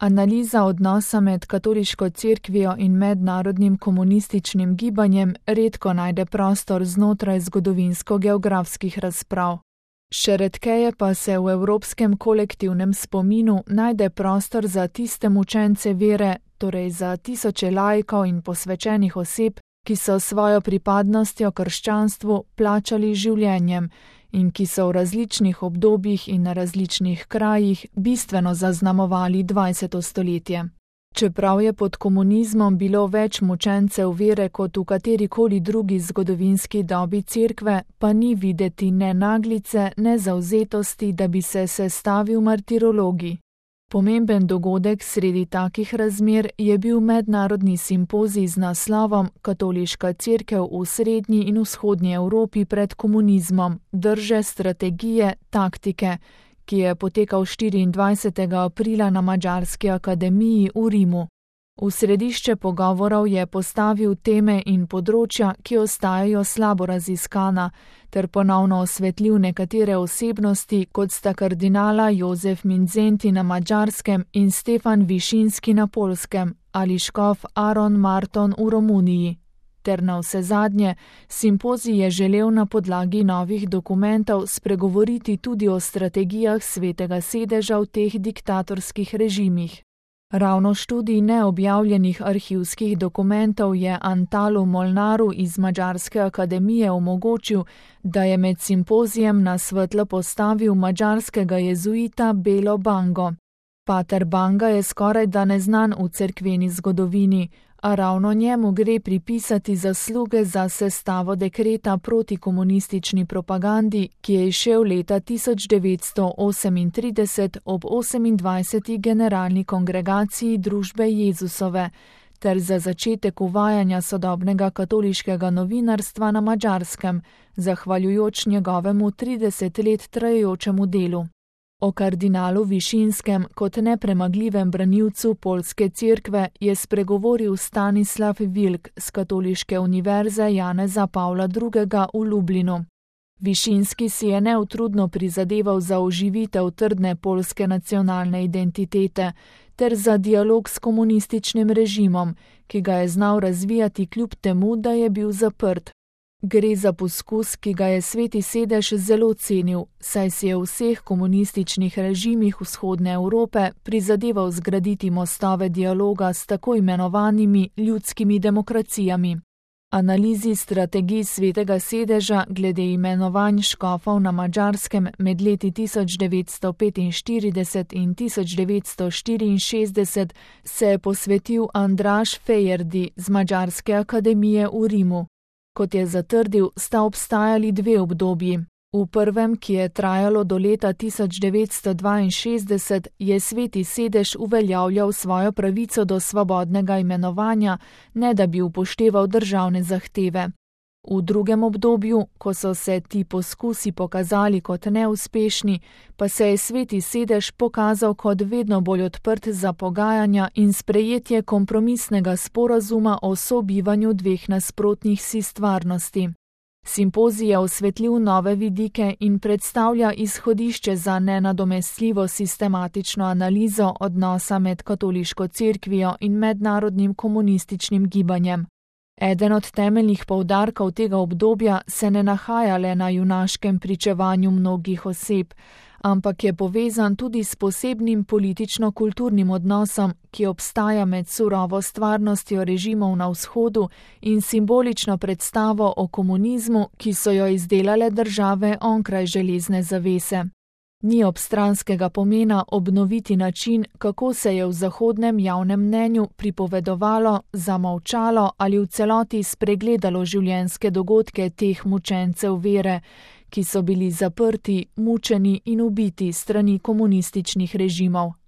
Analiza odnosa med katoliško cerkvijo in mednarodnim komunističnim gibanjem redko najde prostor znotraj zgodovinsko-geografskih razprav. Še redkeje pa se v evropskem kolektivnem spominu najde prostor za tiste mučence vere, torej za tisoče laikov in posvečenih oseb, ki so svojo pripadnostjo krščanstvu plačali življenjem in ki so v različnih obdobjih in na različnih krajih bistveno zaznamovali 20. stoletje. Čeprav je pod komunizmom bilo več mučencev vere kot v katerikoli drugi zgodovinski dobi cerkve, pa ni videti ne naglice, ne zavzetosti, da bi se sestavil martirologi. Pomemben dogodek sredi takih razmer je bil mednarodni simpozij z naslovom Katoliška cerkev v srednji in vzhodnji Evropi pred komunizmom, drže, strategije, taktike, ki je potekal 24. aprila na Madžarski akademiji v Rimu. V središče pogovorov je postavil teme in področja, ki ostajajo slabo raziskana, ter ponovno osvetlil nekatere osebnosti, kot sta kardinala Jozef Mindszenty na Madžarskem in Stefan Višinski na Poljskem ali škof Aron Marton v Romuniji. Ter navsezadnje, simpozij je želel na podlagi novih dokumentov spregovoriti tudi o strategijah Svetega sedeža v teh diktatorskih režimih. Ravno študij neobjavljenih arhivskih dokumentov je Antalu Molnaru iz Madžarske akademije omogočil, da je med simpozijem na svetlo postavil madžarskega jezuita Belo Bango. Pater Banga je skorajda neznan v cerkveni zgodovini, a ravno njemu gre pripisati zasluge za sestavo dekreta proti komunistični propagandi, ki je izšel leta 1938 ob 28. generalni kongregaciji Družbe Jezusove, ter za začetek uvajanja sodobnega katoliškega novinarstva na Madžarskem, zahvaljujoč njegovemu 30 let trajajočemu delu. O kardinalu Višinskem kot nepremagljivem branilcu poljske cerkve je spregovoril Stanislav Vilk z Katoliške univerze Janeza Pavla II. V Lublinu. Višinski si je neutrudno prizadeval za oživitev trdne poljske nacionalne identitete ter za dialog s komunističnim režimom, ki ga je znal razvijati kljub temu, da je bil zaprt. Gre za poskus, ki ga je Sveti sedež zelo cenil, saj si je v vseh komunističnih režimih vzhodne Evrope prizadeval zgraditi mostove dialoga s tako imenovanimi ljudskimi demokracijami. Analizi strategij Svetega sedeža glede imenovanj škofov na Madžarskem med leti 1945 in 1964 se je posvetil Andraž Fejerdi z Madžarske akademije v Rimu. Kot je zatrdil, sta obstajali dve obdobji. V prvem, ki je trajalo do leta 1962, je Sveti sedež uveljavljal svojo pravico do svobodnega imenovanja, ne da bi upošteval državne zahteve. V drugem obdobju, ko so se ti poskusi pokazali kot neuspešni, pa se je Sveti sedež pokazal kot vedno bolj odprt za pogajanja in sprejetje kompromisnega sporazuma o sobivanju dveh nasprotnih si stvarnosti. Simpozij je osvetlil nove vidike in predstavlja izhodišče za nenadomestljivo sistematično analizo odnosa med katoliško cerkvijo in mednarodnim komunističnim gibanjem. Eden od temeljnih poudarkov tega obdobja se ne nahaja le na junaškem pričevanju mnogih oseb, ampak je povezan tudi s posebnim politično-kulturnim odnosom, ki obstaja med surovo stvarnostjo režimov na vzhodu in simbolično predstavo o komunizmu, ki so jo izdelale države onkraj železne zavese. Ni obstranskega pomena obnoviti način, kako se je v zahodnem javnem mnenju pripovedovalo, zamolčalo ali v celoti spregledalo življenjske dogodke teh mučencev vere, ki so bili zaprti, mučeni in ubiti strani komunističnih režimov.